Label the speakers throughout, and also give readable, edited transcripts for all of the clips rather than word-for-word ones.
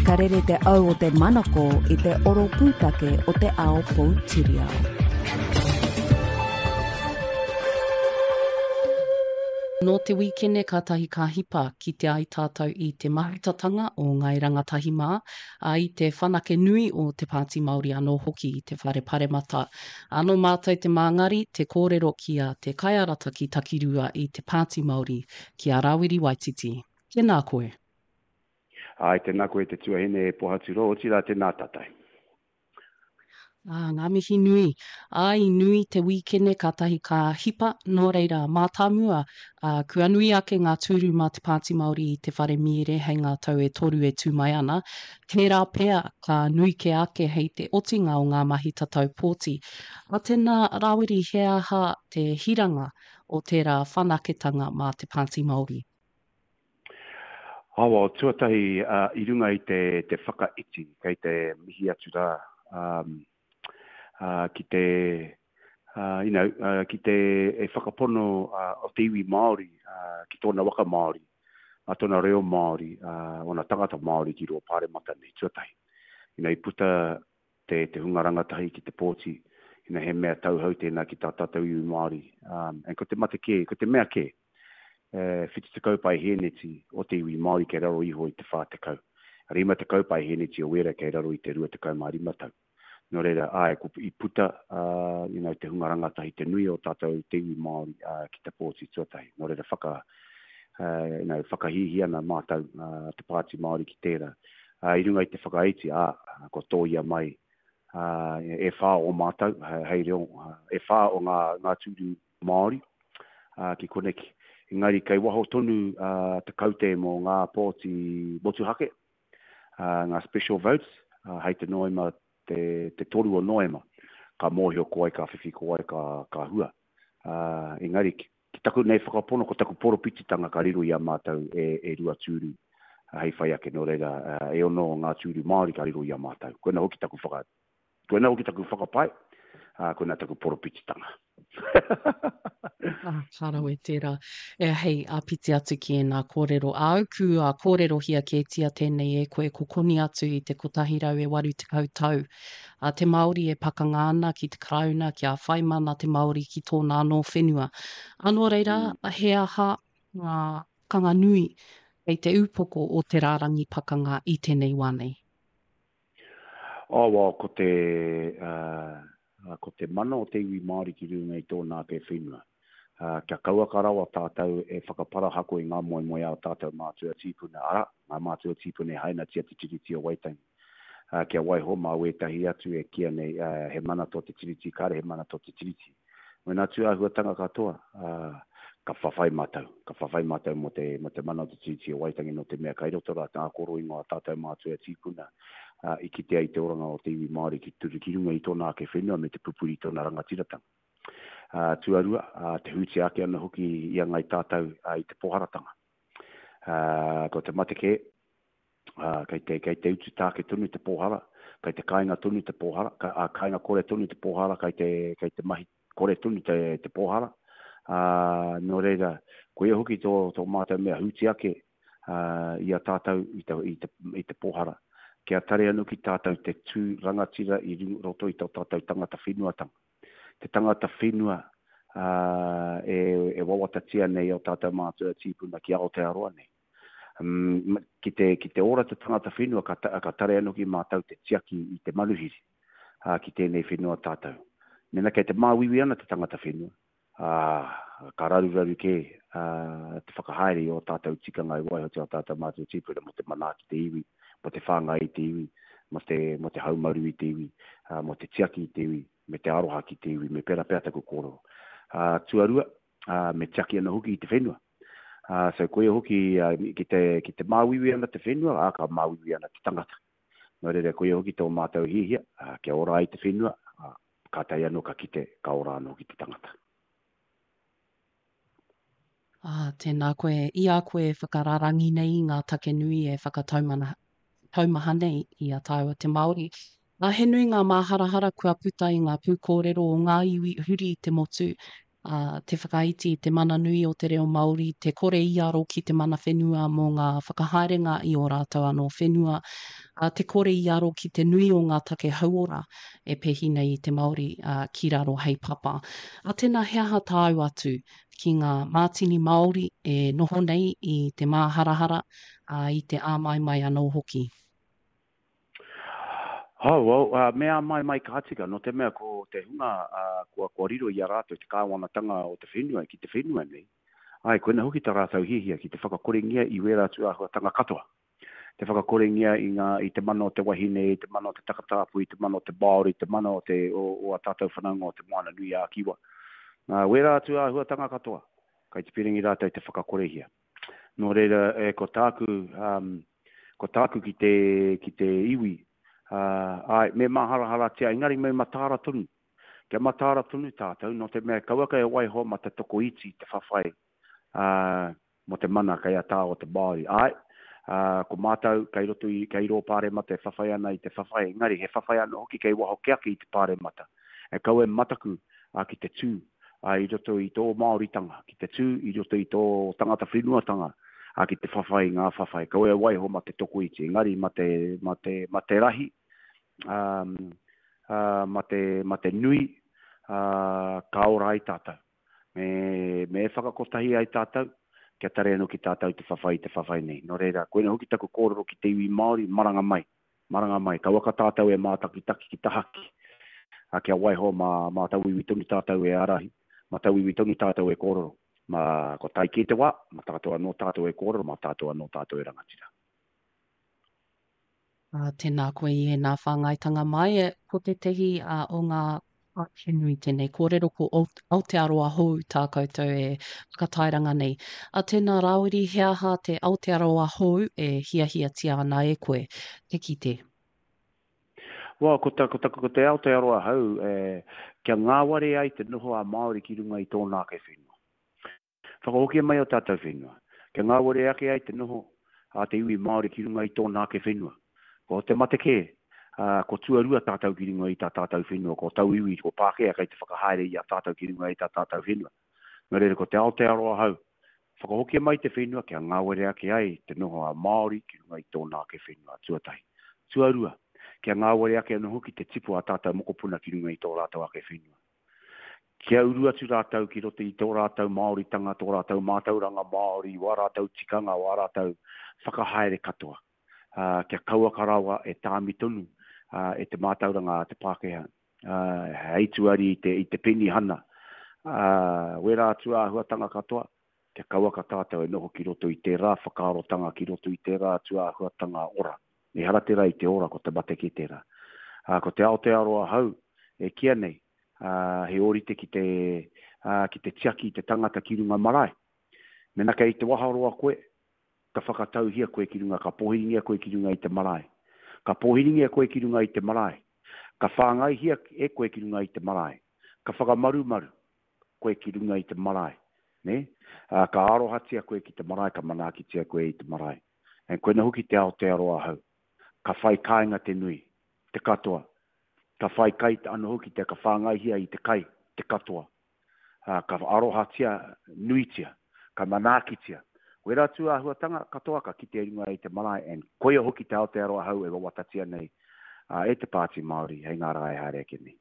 Speaker 1: Ka rere te au o te manako i te oro pūtake o te ao poutiriao.
Speaker 2: Nō te wīkene kātahi ka hipa kite ai tātou i te mahutatanga o Ngāi Rangatahi mā, ā, i te whanake nui o Te Pāti Māori anō hoki i te Whare Paremata. Ā, nō mātou te māngari, te kōrero ki a Te Kaiarataki Takirua i Te Pāti Māori, ki a Rāwiri Waititi. Tēnā koe.
Speaker 3: Āe, tēnā koe te tuahine e Pohaturoa, otirā tēnā tātou.
Speaker 2: Ā, ngā mihi nui. Ā, i nui te wīkene kātahi ka hipa, nō reira, mātāmua, ā, kua nui ake ngā tūru mā Te Pāti Māori i te whare mīere hei ngā tau e toru e tū mai ana. Tērā pea ka nui kē ake hei te otinga o ngā mahi tatau pōti. Ā, tēnā, Rāwiri, he aha te hiranga o tērā whanaketanga mā Te Pāti Māori?
Speaker 3: Awa, tuatahi i runga i te, te whakaiti, kei te mihi atu rā um, uh, ki te, uh, you know, uh, ki te e whakapono uh, o te iwi Māori, uh, ki tōna waka Māori, uh, tōna reo Māori, uh, ōna tangata Māori ki rō pāremata nei, tuatahi. You know, i puta te, te hunga rangatahi ki te pōti, you know, he mea tauhou tēnā ki tā tātou iwi Māori. Um, and ko te mate kē, ko te mea kē, e, 70 paihēneti o te iwi Māori kei raro iho i te 40. 50 paihēneti o wēra kei raro i te 25 tau. Nō reira, āe, ko, i puta, uh, you know, te hunga rangatahi, te nui o tātou te iwi Māori uh, ki te pōti tuatahi. Nō reira, whaka, uh, you know, whakahīhī ana mātou uh, te Pāti Māori ki tērā. Ā, i runga i te whakaiti, ā, kua tōia mai, ā, e whā o mātou, hei reo, e whā o ngā, ngā tūru Māori, ā, ki koneki. Engari kei waho tonu, ā, te kaute mō ngā pōti motuhake, ā, ngā special votes, ā, hei te Noema, te, te toru o Noema, ka mōhio ko wai ka whiwhi, ko wai ka, ka hua. Ā, engari, Ki taku nei whakapono, ko taku poropititanga ka riro i a mātou e, e Ruatūru hei whai ake, nō reira, e ono o ngā tūru Māori ka riro i a mātou. Koina hoki taku whaka, koina hoki taku whakapae, ā, koina taku poropititanga.
Speaker 2: Ah, ka rawe tērā. E, hei āpiti atu ki ēnā kōrero āu, kua kōrerohia kētia tēnei e koe, ko koni atu i te 180 tau a te Māori e pakanga ana ki te Karauna kia whai mana te Māori ki tōna anō whenua. Ā, nō reira, he aha ngā pakanga nui kei te upoko o te rārangi pakanga i tēnei wā nei?
Speaker 3: Oh, well, ko te, uh, ko te mana o te iwi Māori ki runga i tōna ake whenua. Uh, kia kauaka rawa tātou e whakaparahako i ngā moemoeā o tātou mātua tīpuna, arā, ngā mātua tīpuna e hainatia te Tiriti o Waitangi. ā, kia waiho mā wētahi atu e kīia nei, ā, he mana tō te Tiriti, kāre he mana tō te Tiriti. Wēnā tū āhuatanga katoa, ā, ka whawhai mātou, ka whawhai mātou mō te, mō te mana o te Tiriti o Waitangi nō te mea kai roto rā ngā koroingo a tātou mātua tīpuna, ā, i kitea i te oranga o te iwi Māori ki, ki runga i tōna ake whenua me te pupuri i tōna rangatiratanga. Ā, tuarua, ā, te hūtia ake ana hoki i a Ngāi Tātou, ā, i te pōharatanga. Ā, ko te mate kē, ā, kei te, kei te utu tāke tonu te pōhara, kei te kāinga tonu te pōhara, ka, ā, kāinga kore tonu te pōhara, kei te, kei te mahi kore tonu te, te pōhara. Ā, nō reira, koia hoki tō, tō mātou mea hūti ake, ā, i a tātou i te, i te, i te pōhara. Kia tare anō ki tātou te tū rangatira i roto i tō tātou tangata whenuatanga. Te tangata whenua, ā, e, e wawatatia nei e ō tātou mātua tīpuna ki Aotearoa nei. Um, ki, te, ki te ora te tangata whenua, ka, ka tare anō ki mātou te tiaki i te manuhiri ā, ki tēnei whenua tātou. Mēnā kei te māuiui ana te tangata whenua, ā, ka raruraru kē ā, te whakahaere i ō tātou tikanga i waihotia ō tātou mātua tīpuna mō te manaaki te iwi, mō te whāngai i te iwi, mō te, mō te haumaru i te iwi, ā, mō te tiaki i te iwi, me te aroha ki te iwi, me pērā pea taku kōrero. Ā, tuarua, ā, me tiaki ana hoki i te whenua. Ā, so koia hoki ki te, ki te māuiui ana te whenua, ā, ka māuiui ana te tangata. Nō reira, koia hoki tō mātou hiahia, ā, kia ora ai te whenua, ā, kātahi anō ka kite, ka ora anō hoki te tangata.
Speaker 2: Ā, tēnā koe, i a koe e whakararangi nei i ngā take nui e whakataumana, taumaha nei i a tāua te Māori. Ā, he nui ngā māharahara kua puta i ngā pūkōrero o ngā iwi huri i te motu, ā, te whakaiti i te mana nui o te reo Māori, te kore i aro ki te mana whenua mō ngā whakahaerenga i ō rātou anō whenua. Ā, te kore i aro ki te nui o ngā take hauora e pēhi nei i te Māori ki raro hei papa. Ā, tēnā he aha tāu atu ki ngā mātini Māori e noho nei i te māharahara, ā, i te āmaimai anō hoki?
Speaker 3: Oh, well, uh, me āmaimai ka tika, nō te mea ko te hunga uh, kua, kua riro i a rātou te kāwanatanga o te whenua ki te whenua nei, ai, koina hoki tā rātou hiahia ki te whakakorengia i wērā tūāhuatanga katoa. Te whakakorengia i ngā, i te mana o te wahine, i te mana o te takatāpui, i te mana o te Māori, te mana o te, o, o a tātou whanaunga o te Moana nui ā Kiwa. Nā, wērā tūāhuatanga katoa, kai te piringi rātou te whakakorehia. Nō reira, e, ko tāku, um, ko tāku ki te, ki te iwi, uh, āe, me māharaharatia, engari me mataara tonu. Kia mataara tonu tātou, nō te mea kauaka e waiho ma te tokoiti te whawhai, uh, mō te mana kei a tā o te Māori. Āe, uh, ko mātou kei roto i, kei rō pāremata e whawhai ana i te whawhai, engari he whawhai anō hoki kei waho ke ake i te pāremata. E kaua e mataku ā, ki te tū ā, i roto i tō Māoritanga, ki te tū i roto i tō tangata whenuatanga, ā, ki te whawhai i ngā whawhai. Kaua e waiho mā te tokoiti, engari mā te, mā te, mā te rahi, ā, ā, mā te, mā te nui, ā, ka ora ai tātou. Me, me e whakakotahi ai tātou, kia tare anō ki tātou te whawhai i te whawhai nei. Nō reira, koina hoki taku kōrero ki te iwi Māori, maranga mai. Maranga mai, kauaka tātou e mātakitaki ki tahaki, ā, kia waiho mā, mā tauiwi tonu tātou e ārahi, mā tauiwi tonu tātou e kōrero. Mā, kua tae kē te wā, mā tātou anō tātou e kōrero, mā tātou anō tātou e rangatira.
Speaker 2: Ā, tēnā koe i ēnā whāngaitanga mai. Ko tētehi o ngā He nui tēnei kōrero ko Aotearoa hou tā koutou e whakatairanga nei. A tēnā Rāwiri, he aha te Aotearoa hou e hiahiatia ana e koe te kite?
Speaker 3: Well, ko, ta, ko, ta, ko te Aotearoa hou, e, kia ngāwari ai te noho a Māori ki runga i tōna ake whenua. Whakahokia mai o tātou whenua, kia ngāwari ake ai te noho a te iwi Māori ki runga i tōna ake whenua. Ko te mate kē, ā, ko tuarua tātou ki runga i tā tātou whenua, ko tauiwi, ko Pākehā kei te whakahaere i a tātou ki runga i tā tātou whenua. Nō reira, ko te Aotearoa hou, whakahokia mai te whenua kia ngāwari ake ai te noho a Māori ki runga i tōna ake whenua, tuatahi. Tuarua, kia ngāwari ake anō hoki te tipu a tātou mokopuna ki runga i tō rātou ake whenua. Kia uru atu rātou ki roto i tō rātou Māoritanga, tō rātou mātauranga Māori, wā rātou tikanga, wā rātou whakahaere katoa. Ā, kia kauaka rawa e tāmi tonu e te mātauranga a te Pākehā, ā, hei tuari i te, i te penihana, ā, wērā atu āhuatanga katoa, kia kauaka tātou e noho ki roto i tērā whakaarotanga, ki roto i tērā atu āhuatanga ora. Ehara tērā i te ora, ko te mate kē tērā. Ā, ko te Aotearoa hou e kīa nei, ā, he ōrite ki te, ā, ki te tiaki i te tangata ki runga marae. Mēnā kei te waharoa koe, ka whakatauhia koe ki runga, ka pōhiringia koe ki runga i te marae. Ka pōhiringia koe ki runga i te marae. Ka whāngaihia e koe ki runga i te marae. Ka whakamarumaru koe ki runga i te marae. Nē? Ā, ka arohatia koe ki te marae, ka manaakitia koe i te marae. And koina hoki te Aotearoa ahau. Ka whai kāinga te nui, te katoa. Ka whai kai ano hoki te, ka whāngaihia i te kai, te katoa. Ā, ka arohatia nuitia, ka manaakitia. Wera tū āhuatanga katoa ka kitea i runga i te marae and koia hoki te Aotearoa ahau e wawatatia nei e te Pāti Māori hei ngā rā e haere ake nei.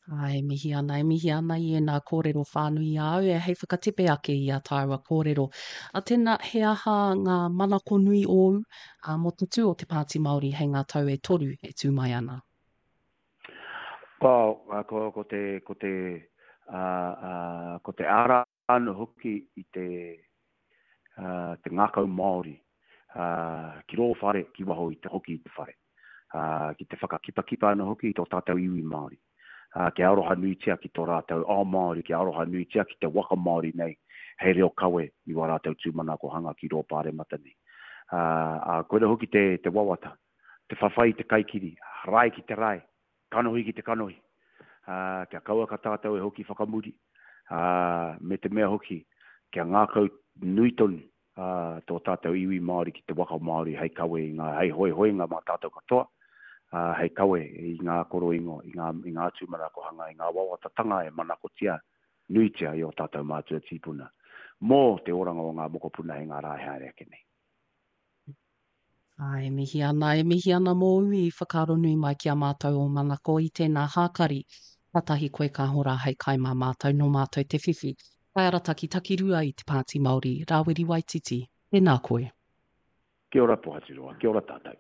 Speaker 2: Ā, e mihi ana, e mihi ana i ēnā kōrero whānui i a au e hei whakatepe ake i a tāua kōrero. A tēnā, he aha ngā manako nui ōu, ā, mō te tū o te Pāti Māori hei ngā tau e toru e tū mai ana?
Speaker 3: Ko, ko, ko te, ko te, ā, ā, ko te ara anō hoki i te, ā, te ngākau Māori, ā, ki rō whare, ki waho i te hoki i te whare, ā, ki te whakakipakipa anō hoki i tō tātou iwi Māori, ā, kia aroha nuitia ki tō rātou ao Māori, kia aroha nuitia ki te waka Māori nei hei reo kawe i wā rātou tūmanakohanga ki rō Pāremata nei. Ā, ā, koira hoki te, te wawata, te whawhai i te kaikiri, rae ki te rae, Kanohi ki te kanohi, ā, kia kauaka tātou e hoki whakamuri, ā, me te mea hoki, kia ngākau nui tonu, ā, tō tātou iwi Māori ki te waka Māori hei kawe i ngā, hei hoihoinga mā tātou katoa, ā, hei kawe i ngā koroingo, i ngā, i ngā tūmanakohanga, i ngā wawatatanga e manakotia nuitia i ō tātou mātua tīpuna mō te oranga o ngā mokopuna hei ngā rā e haere ake nei.
Speaker 2: Ā, e mihi ana, e mihi ana mōu i whakaaro nui mai ki a mātou ō manako i tēnā hākari. Kātahi koe ka hora hei kai mā mātou, nō mātou te whiwhi. Kaiarataki takirua i te Pāti Māori, Rāwiri Waititi, tēnā koe.
Speaker 3: Kia ora Pohaturoa, kia ora tātou.